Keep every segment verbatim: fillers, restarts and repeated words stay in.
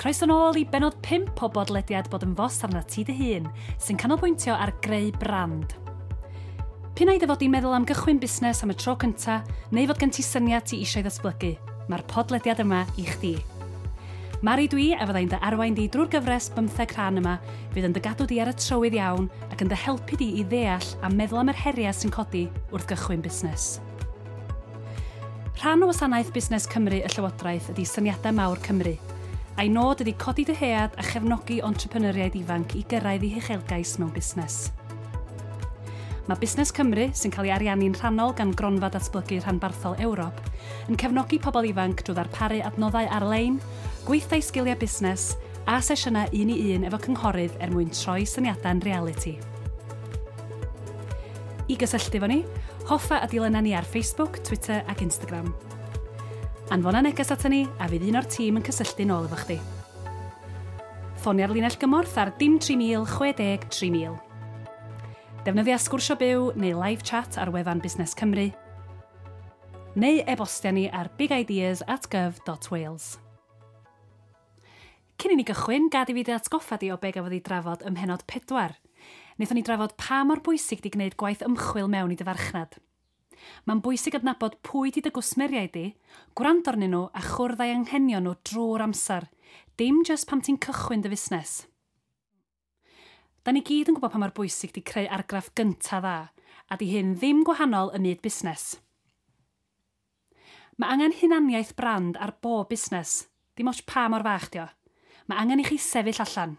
Croeso nôl i benod pump o bodlediad Bod yn Fos Arnat Ti Dy Hun, sy'n canolbwyntio ar greu brand. P'un ai dy fod di'n meddwl am gychwyn busnes am y tro cynta, neu fod gen ti syniad ti eisiau ddatblygu, mae'r podlediad yma i chdi. Mari dwi a fyddai'n dy arwain di drwy'r gyfres bymtheg rhan yma, fydd yn dy gadw di ar y trywydd iawn ac yn dy helpu di i ddeall a meddwl am yr heriau sy'n codi wrth gychwyn busnes. Rhan o wasanaeth Busnes Cymru y Llywodraeth ydy Syniadau Mawr Cymru, a'i nod ydy codi dyhead a chefnogi entrepreneuriaid ifanc i gyrraedd eu huchelgais mewn busnes. Mae Busnes Cymru, sy'n cael ei ariannu'n rhannol gan Gronfa Datblygu Rhanbarthol Ewrop, yn cefnogi pobl ifanc drwy ddarparu adnoddau ar-lein, gweithdai sgiliau busnes a sesiynau un i un efo cynghorydd er mwyn troi syniadau'n realiti. I gysylltu efo ni, hoffa a dilyna ni ar Facebook, Twitter ac Instagram. Anfona neges ata ni a fydd un o'r tîm yn cysylltu nôl efo chdi. Ffonia'r linell gymorth ar dim tri mil chwe deg tri mil. Defnyddia sgwrsio byw neu live chat ar wefan Busnes Cymru, neu e-bostia ni ar bigideas at gov dot wales. Cyn i ni gychwyn, gad i fi dy atgoffa di o be gafodd ei drafod ym mhennod pedwar. Wnaethon ni drafod pa mor bwysig di gwneud gwaith ymchwil mewn i dy farchnad. Mae'n bwysig adnabod pwy di dy gwsmeriaid di, gwrando arnyn nhw a chwrdd â'i anghenion nhw drwy'r amser, dim jyst pam ti'n cychwyn dy fusnes. Da ni gyd yn gwybod pa mor bwysig di creu argraff gynta dda, a di hyn ddim gwahanol ym myd busnes. Mae angen hunaniaeth brand ar bob busnes, dim ots pa mor fach di o. Mae angen i chi sefyll allan.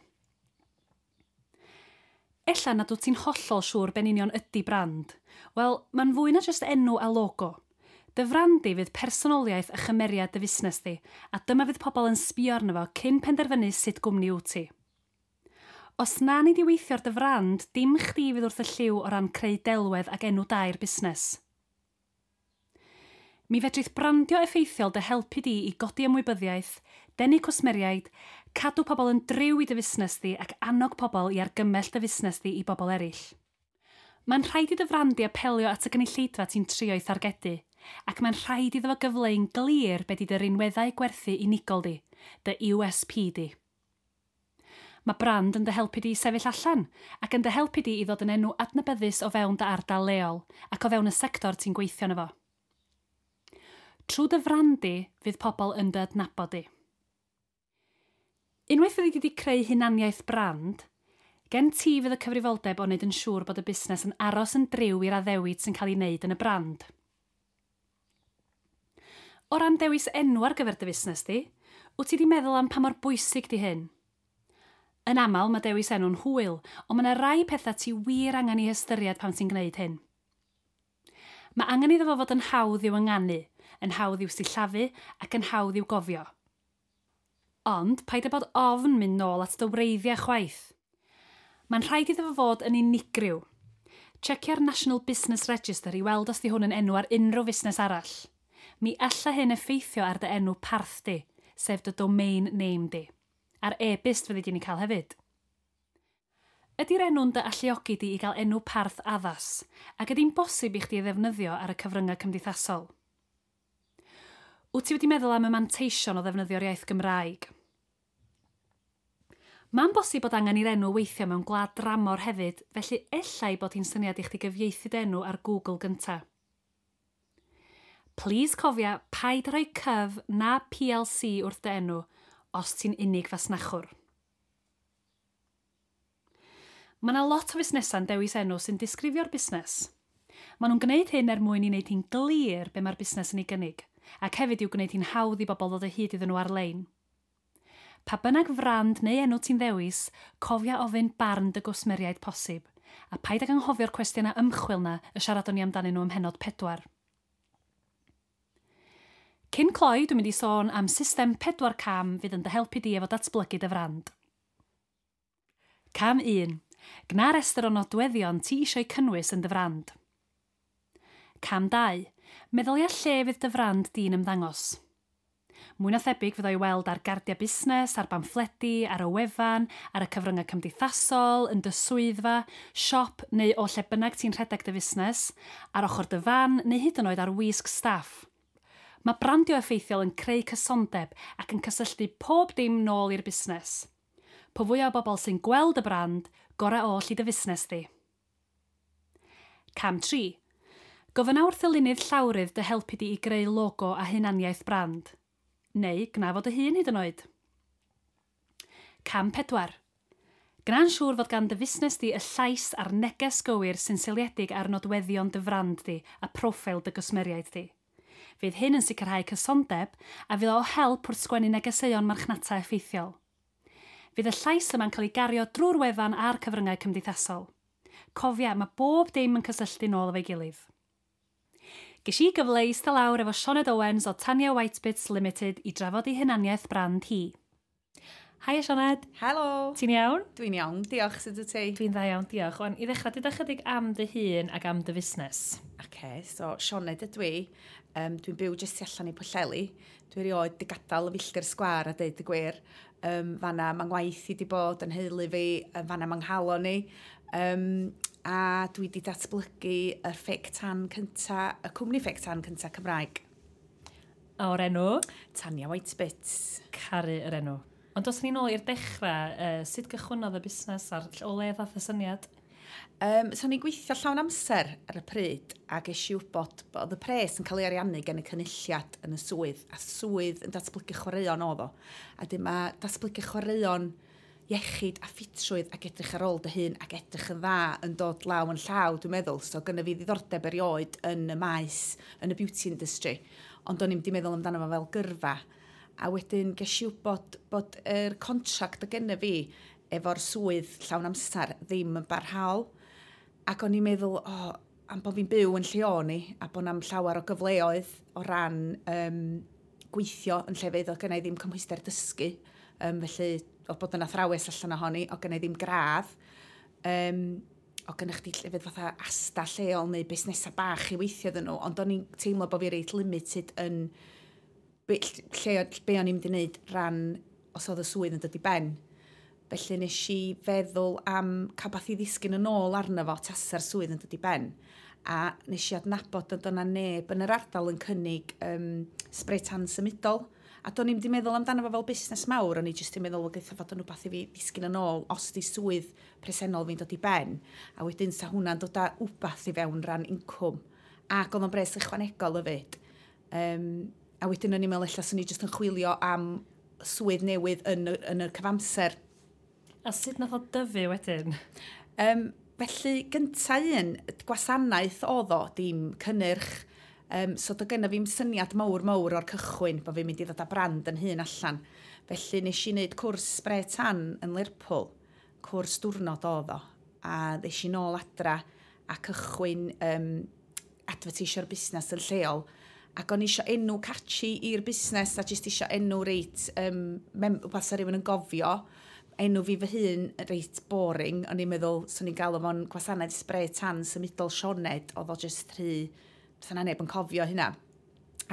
Ella nad wyt ti'n hollol siŵr be'n union ydy brand. Wel, mae'n fwy na jyst enw a logo. Dy frand di fydd personoliaeth a chymeriad dy fusnes di, a dyma fydd pobl yn sbio arno fo cyn penderfynu sut gwmni wyt ti. Os na ni di weithio ar dy frand, dim chdi fydd wrth y llyw o ran creu delwedd ac enw da i'r busnes. Mi fedrith brandio effeithiol dy helpu di i godi ymwybyddiaeth, denu cwsmeriaid, cadw pobl yn driw i dy fusnes di ac annog pobl i argymell dy fusnes di i bobl eraill. Mae'n rhaid i dy frand di apelio at y gynulleidfa ti'n trio ei thargedu, ac mae'n rhaid iddo fo gyfleu'n glir be di dy rinweddau gwerthu unigol di, dy U S P di. Mae brand yn dy helpu di i sefyll allan, ac yn dy helpu di i ddod yn enw adnabyddus o fewn dy ardal leol, ac o fewn y sector ti'n gweithio yno fo. Trwy dy frand di, fydd pobl yn dy adnabod di. Unwaith fyddi di wedi creu hunaniaeth brand, gen ti fydd y cyfrifoldeb o wneud yn siŵr bod y busnes yn aros yn driw i'r addewid sy'n cael ei wneud yn y brand. O ran dewis enw ar gyfer dy fusnes di, wyt ti wedi meddwl am pa mor bwysig di hyn? Yn aml mae dewis enw'n hwyl, ond mae yna rai pethau ti wir angen i hystyried pan ti'n gwneud hyn. Mae angen iddo fo fod yn hawdd i'w ynganu, yn hawdd i'w sillafu ac yn hawdd i'w gofio. Ond, paid â bod ofn mynd nôl at dy wreiddiau chwaith. Mae'n rhaid iddo fo fod yn unigryw. Checia'r National Business Register i weld os di hwn yn enw ar unrhyw fusnes arall. Mi alla hyn effeithio ar dy enw parth di, sef dy domain name di. A'r e-byst fyddi di'n ei cael hefyd. Ydy'r enw'n dy alluogi di i gael enw parth addas, ac ydy'n bosib i chdi ei ddefnyddio ar y cyfryngau cymdeithasol? Wyt ti wedi meddwl am y manteision o ddefnyddio'r iaith Gymraeg? Mae'n bosib bod angen i'r enw weithio mewn gwlad dramor hefyd, felly ella ei bod hi'n syniad i chdi gyfieithu dy enw ar Google gynta. Please cofia, paid rhoi cyf na P L C wrth dy enw os ti'n unig fasnachwr. Mae yna lot o fusnesau'n dewis enw sy'n disgrifio'r busnes. Maen nhw'n gwneud hyn er mwyn i wneud hi'n glir be mae'r busnes yn ei gynnig, ac hefyd i'w gwneud hi'n hawdd i bobl ddod o hyd iddyn nhw ar-lein. Pa bynnag frand neu enw ti'n ddewis, cofia ofyn barn dy gwsmeriaid posib, a paid ag anghofio'r cwestiynau ymchwil na y siaradon ni amdanyn nhw ym mhennod pedwar. Cyn cloi, dwi'n mynd i sôn am system pedwar cam fydd yn dy helpu di efo datblygu dy frand. Cam un. Gwna restr o nodweddion ti eisiau cynnwys yn dy frand. Cam dau. Meddylia lle fydd dy frand di'n ymddangos. Mwy na thebyg fydd o'i weld ar gardiau busnes, ar bamffledi, ar y wefan, ar y cyfryngau cymdeithasol, yn dy swyddfa, siop neu o lle bynnag ti'n rhedeg dy fusnes, ar ochr dy fan neu hyd yn oed ar wisg staff. Mae brandio effeithiol yn creu cysondeb ac yn cysylltu pob dim nôl i'r busnes. Po fwyaf o bobl sy'n gweld y brand, gorau oll i dy fusnes di. Cam tri. Gofynna wrth ddylunydd llawrydd dy helpu di i greu logo a hunaniaeth brand. Neu gwna fo dy hun hyd yn oed. Cam pedwar. Gwna'n siŵr fod gan dy fusnes di y llais a'r neges gywir sy'n seiliedig ar nodweddion dy frand di a proffil dy gwsmeriaid di. Fydd hyn yn sicrhau cysondeb a fydd o help wrth sgwennu negeseuon marchnata effeithiol. Fydd y llais yma'n cael ei gario drwy'r wefan a'r cyfryngau cymdeithasol. Cofia, mae bob dim yn cysylltu nôl efo'i gilydd. Ges i gyfle i eistedd lawr efo Sioned Owens o Tanya Whitebits Limited i drafod ei hunaniaeth brand hi. Haia, Sioned. Helo! Ti'n iawn? Dwi'n iawn, diolch, sut wyt ti? Dwi'n dda iawn, diolch. Wan, i ddechrau, deuda chydig am dy hun ac am dy fusnes. OK, so Sioned ydw i. Um, dwi'n byw jyst tu allan i Pwllheli. Dwi erioed di gadael y filltir sgwar a deud y gwir. Um, fanna mae ngwaith i di bod yn nheulu fi, fanna mae nghalon i. Um, a dwi di datblygu y fake tan cynta, y cwmni fake tan cynta Cymraeg. A o'r enw? Tanya Whitebits. Caru yr enw. Ond os ni'n ôl i'r dechrau, uh, sut gychwynnodd y busnes a'r o le ddath y syniad? Um, so ni'n gweithio llawn amser ar y pryd a ges i wybod bod y pres yn cael ei ariannu gen y Cynulliad yn y swydd, a swydd yn datblygu chwaraeon oedd o. A dim mae datblygu chwaraeon, iechyd a ffitrwydd ac edrych ar ôl dy hun ac edrych yn dda yn dod law yn llaw, dwi'n meddwl. So gynna fi ddiddordeb erioed yn y maes, yn y beauty industry. Ond o'n i'm di meddwl amdano fo fel gyrfa. A wedyn ges i wybod bod yr contract o genna fi efo'r swydd llawn amser ddim yn barhaol. Ac o'n i'n meddwl, oh, am bod fi'n byw yn lle o'n i, a bod na'm llawer o gyfleoedd o ran um, gweithio yn llefydd, oedd gynna i ddim cymhwyster dysgu. Um, felly, oedd bod yn athrawes allan ohoni, oedd gynna i ddim gradd. Um, oedd gynna chdi llefydd fatha Asda lleol neu busnesau bach i weithio iddyn nhw, ond o'n i'n teimlo bod fi reit limited yn be, lle, be o'n i'n mynd i wneud ran os oedd y swydd yn dod i ben. Felly nes i feddwl am cael beth i ddisgyn yn ôl arno fo tasa'r swydd yn dod i ben. A nes i adnabod bod yna neb yn yr ardal yn cynnig um, spray tan symudol. A do'n i'm di meddwl amdano fo fel busnes mawr, o'n i jyst yn meddwl, wel, geitha fod yn rhywbeth i fi ddisgyn yn ôl os di swydd presennol fi'n dod i ben. A wedyn sa hwnna'n dod â wbath i fewn ran incwm. Ac oedd o'n bres ychwanegol hefyd. Um, a wedyn o'n i'n meddwl ella swn i jyst yn chwilio am swydd newydd yn, y, yn y cyfamser. A sut nath o dyfu wedyn? Um, felly, gynta un, gwasanaeth oedd o, dim cynnyrch. Um, so, do gynna fi'm syniad mawr mawr o'r cychwyn bod fi'n mynd i ddod â brand yn hun allan. Felly, nes i wneud cwrs spray tan yn Lerpwl. Cwrs diwrnod oedd o. A ddes i nôl adra a cychwyn um, advertisio'r busnes yn lleol. Ac o'n i eisiau enw catchy i'r busnes a jyst eisiau enw reit, um, mem, wbath sa rhywun yn gofio. Enw fi fy hun reit boring. O'n i'n meddwl, swn i'n galw fo'n gwasanaeth spray tan symudol Sioned, oedd o jyst rhy, sa na neb yn cofio hynna.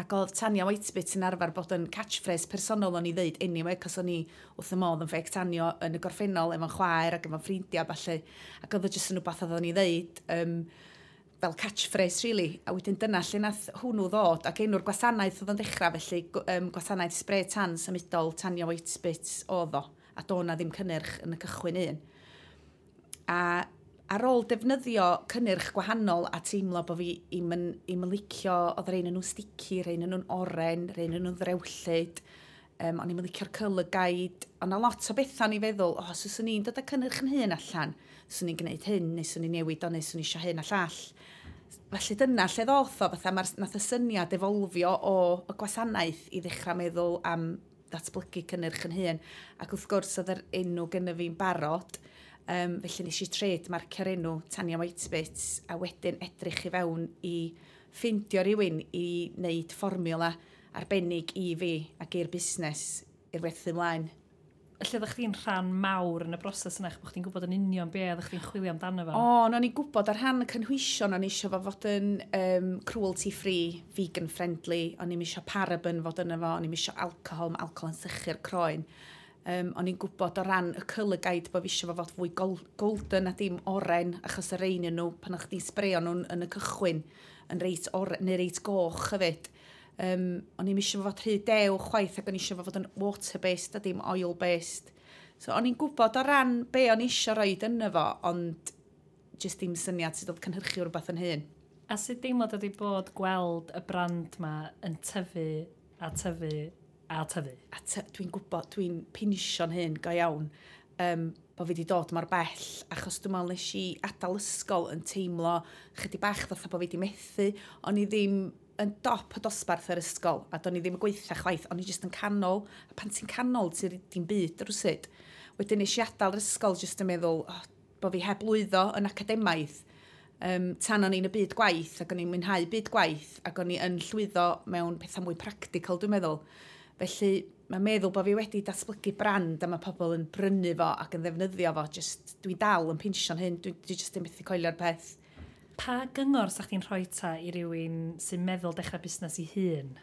Ac oedd Tanya Whitebits yn arfer bod yn catchphrase personol o'n i ddeud anyway, cos o'n i wrth y modd yn fake tanio yn y gorffennol efo'n chwaer ac efo'n ffrindiau falle. Ac oedd o jyst yn rhywbeth oedd o'n i ddeud um, fel catchphrase, really. A wedyn dyna lle nath hwnnw ddod, ac enw'r gwasanaeth oedd o'n dechrau, felly um, gwasanaeth spray tan symudol Tanya Whitebits oedd o. A do na ddim cynnyrch yn y cychwyn un. A ar ôl defnyddio cynnyrch gwahanol a teimlo bod fi i'm yn, i'm yn licio, oedd rhain yn nhw'n sticky, rhain yn nhw'n oren, rhain yn nhw'n ddrewllyd, um, o'n i'm yn licio'r colour guide. Ond na lot o bethau o'n i feddwl, o, oh, so swn i'n dod â cynnyrch yn hun allan, swn i'n gwneud hyn, neu swn i'n newid o, neu swn i eisiau hyn a llall. Felly dyna lle ddoth o, fatha mae'r, nath y syniad evolfio o y gwasanaeth i ddechrau meddwl am ddatblygu cynnyrch yn hun. Ac wrth gwrs oedd yr enw gynna fi'n barod, um, felly nes i trademarkio'r enw Tanya Whitebits a wedyn edrych i fewn i ffindio rhywun i wneud fformiwla arbennig i fi ac i'r busnes i'r werthu ymlaen. Felly oeddech chdi'n rhan mawr yn y broses yna, bod chdi'n gwybod yn union be oeddech chdi'n chwilio amdano fo? O, o'n i'n gwybod ar rhan y cynhwysion, o'n i eisiau fo fod yn um, cruelty free, vegan friendly, o'n i'n eisiau paraben fod yna fo, o'n i'n eisiau alcohol, mae alcohol yn sychu'r croen. Um, o'n i'n gwybod o ran y colour guide bod fi eisiau fo fod fwy golden a dim oren, achos y rhain nhw, pan o'ch chdi'n sbreio nhw'n yn y cychwyn, yn reit oren, neu reit goch hefyd. Um, o'n i'm eisiau fod rhy dew chwaith ac o'n eisiau fod yn water-based a dim oil-based. So o'n i'n gwybod o ran be o'n eisiau roed yno fo, ond jyst dim syniad sut oedd cynhyrchu rhywbeth yn hun. A sut deimlad ydy bod gweld y brand ma yn tyfu a tyfu a tyfu? A dwi'n gwybod, dwi'n pinsio'n hyn go iawn, um, bod fi wedi dod mor bell, achos dwi'n meddwl nes i adael ysgol yn teimlo chydig bach fatha bod fi wedi methu. O'n i ddim yn dop y dosbarth yr ysgol, a do'n i ddim yn gweithio chwaith, o'n i jyst yn canol, a pan ti'n canol, ti'n dim byd rwsut. Wedyn nes i adael yr ysgol jyst yn meddwl oh, bod fi heb lwyddo yn academaidd. Um, tan o'n i'n y byd gwaith, ac o'n i'n mwynhau byd gwaith, ac o'n i yn llwyddo mewn pethau mwy practical, dwi'n meddwl. Felly, mae'n meddwl bod fi wedi datblygu brand a mae pobl yn brynu fo ac yn ddefnyddio fo. Just, dwi'n dal yn pinsio'n hyn, dwi, dwi just yn methu coelio'r peth. Pa gyngor sa chdi'n rhoi ta i rywun sy'n meddwl dechrau busnes i hun?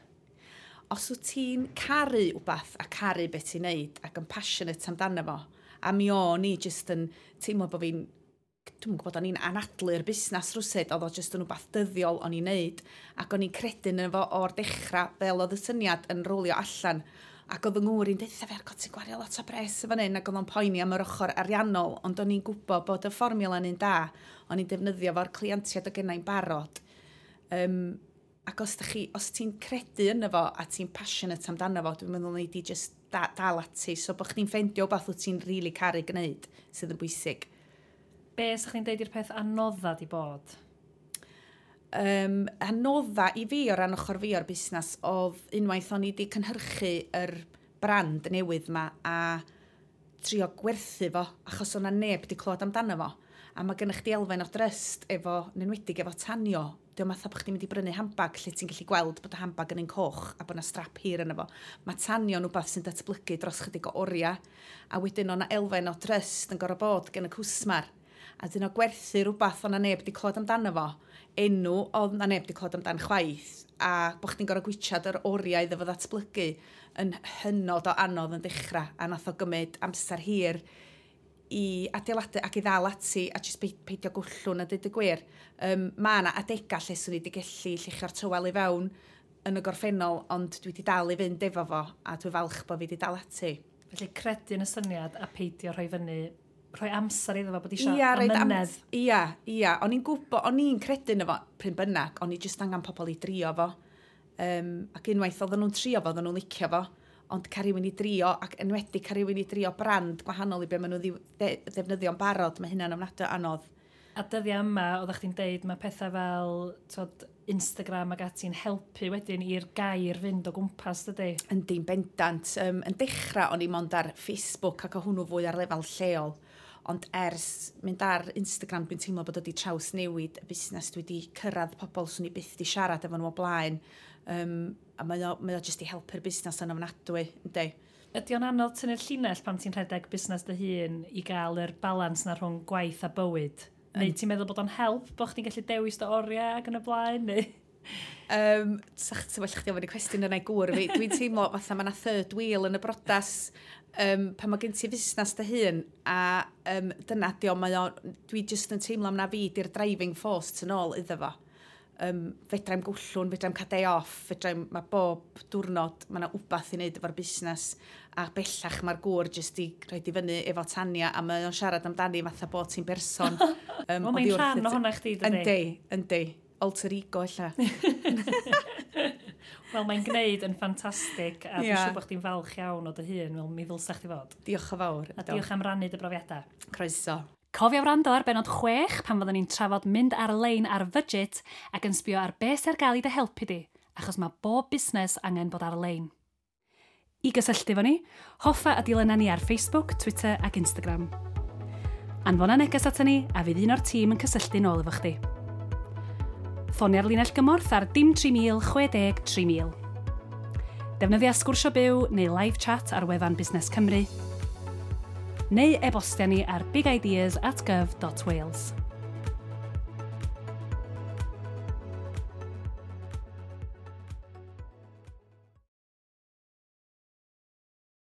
Os wyt ti'n caru wbath a caru beth ti'n neud ac yn passionate amdano fo, a mi o'n i just yn teimlo bod fi'n, dwi'n gwybod, o'n i'n anadlu'r busnes rwsut, oedd o jyst yn wbath dyddiol o'n i'n neud, ac o'n i'n credu yn fo o'r dechrau fel oedd y syniad yn rolio allan. Ac oedd yng ngŵr i'n deutha fi, ar ti'n gwario lot o bres yn fan hyn, ac oedd o'n poeni am yr ochr ariannol, ond o'n i'n gwybod bod y fformiwla yn un da, o'n i'n defnyddio fo'r clientiaid o gennau'n barod. Um, ac os, chi, os ti'n credu yno fo a ti'n passionate amdano fo, dwi'n meddwl nei di just da, dal ati, so bod chdi'n ffeindio wbath wyt ti'n rili really caru gwneud sydd yn bwysig. Be sa chdi'n deud i'r peth anodda di bod? Um, anodda i fi o ran ochr fi o'r busnes oedd unwaith o'n i wedi cynhyrchu yr brand newydd ma a trio gwerthu fo, achos o'na neb wedi clywed amdano fo. A mae gennych chdi elfen o drust efo, yn enwedig efo tanio. Dio'm fatha bod chdi'n mynd i brynu handbag lle ti'n gallu gweld bod y handbag yn un coch a bod yna strap hir yno fo. Mae tanio'n wbath sy'n datblygu dros chydig o oriau. A wedyn o'na elfen o drust yn gorfod bod gen y cwsmar. A dyn o gwerthu rhywbeth o'na neb wedi clywed amdano fo, enw oedd na neb wedi clywed amdan chwaith, a bod chdi'n gorfod gwitsiad yr oriau iddo fo ddatblygu yn hynod o anodd yn dechrau, a nath o gymryd amser hir i adeiladu ac i ddal ati a jyst peidio gwllwn a dweud y gwir. Um, mae yna adegau lle swn i wedi gallu lluchio'r tywel i fewn yn y gorffennol, ond dwi wedi dal i fynd efo fo, a dwi falch bod fi wedi dal ati. Felly credu yn y syniad a peidio rhoi fyny, rhoi amser iddo fo, bod eisiau amynedd. Ia, ia. O'n i'n gwybod, o'n i'n credu yno fo, pryn bynnag, o'n i jyst angen pobl i drio fo. Um, ac unwaith oedden nhw'n trio fo, oedden nhw'n licio fo. Ond cael rhywun i drio, ac enwedig cael rhywun i drio brand gwahanol i be maen nhw'n ddefnyddio'n barod, mae hynna'n ofnadwy anodd. A dyddiau yma, oeddech chdi'n deud, mae pethau fel twod, Instagram ac ati'n helpu wedyn i'r gair fynd o gwmpas, dydy? Yndi'n bendant. Um, yn dechrau, o'n i mond ar Facebook ac o hwnnw fwy ar lefel lleol. Ond ers mynd ar Instagram, dwi'n teimlo bod wedi trawsnewid y busnes. Dwi wedi cyrraedd pobl swn i byth di siarad efo nhw o blaen. Um, a mae o, mae o jyst i helpu'r busnes yn ofnadwy, yndi. Ydy o'n anodd tynnu'r llinell pan ti'n rhedeg busnes dy hun i gael yr balans na rhwng gwaith a bywyd? Neu ti'n meddwl bod o'n help bod chdi'n gallu dewis dy oriau ac yn y blaen? Neu? Um, Sa'ch ti'n well chdi ofyn y cwestiwn yna i gŵr fi. Dwi'n teimlo fatha mae yna third wheel yn y brodas um, pan mae gen ti fusnes dy hun a um, dyna di o, mae o, dwi jyst yn teimlo am na fi di'r driving force tu nôl iddo fo. Um, fedrai'm gwllwn, fedrai'm cael day off, fedrai'm, mae bob diwrnod, mae yna wbath i wneud efo'r busnes, a bellach mae'r gŵr jyst i rhoi i fyny efo Tania, a mae o'n siarad amdani fatha bod ti'n berson. Um, Wel, mae'n rhan ohona chdi, dydy? Yndi, yndi. Alter ego, ella. Wel, mae'n gwneud yn ffantastig, a dwi'n siŵr bod chdi'n falch iawn o dy hun, fel mi ddylsa chdi fod. Diolch yn fawr. A diolch am rannu dy brofiadau. Croeso. Cofia wrando ar benod chwech pan fyddwn ni'n trafod mynd ar-lein ar fudget ac yn sbio ar beth sy'n ar gael i dy helpu di, achos mae bob busnes angen bod ar-lein. I gysylltu efo ni, hoffa a dilynna ni ar Facebook, Twitter ac Instagram. Anfona neges ato ni a fydd un o'r tîm yn cysylltu nôl efo chdi. Ffonia'r linell gymorth ar dim tri mil chwe deg tri mil. Defnyddia sgwrsio byw neu live chat ar wefan Busnes Cymru, neu e-bostia ni ar bigideas at gov dot wales.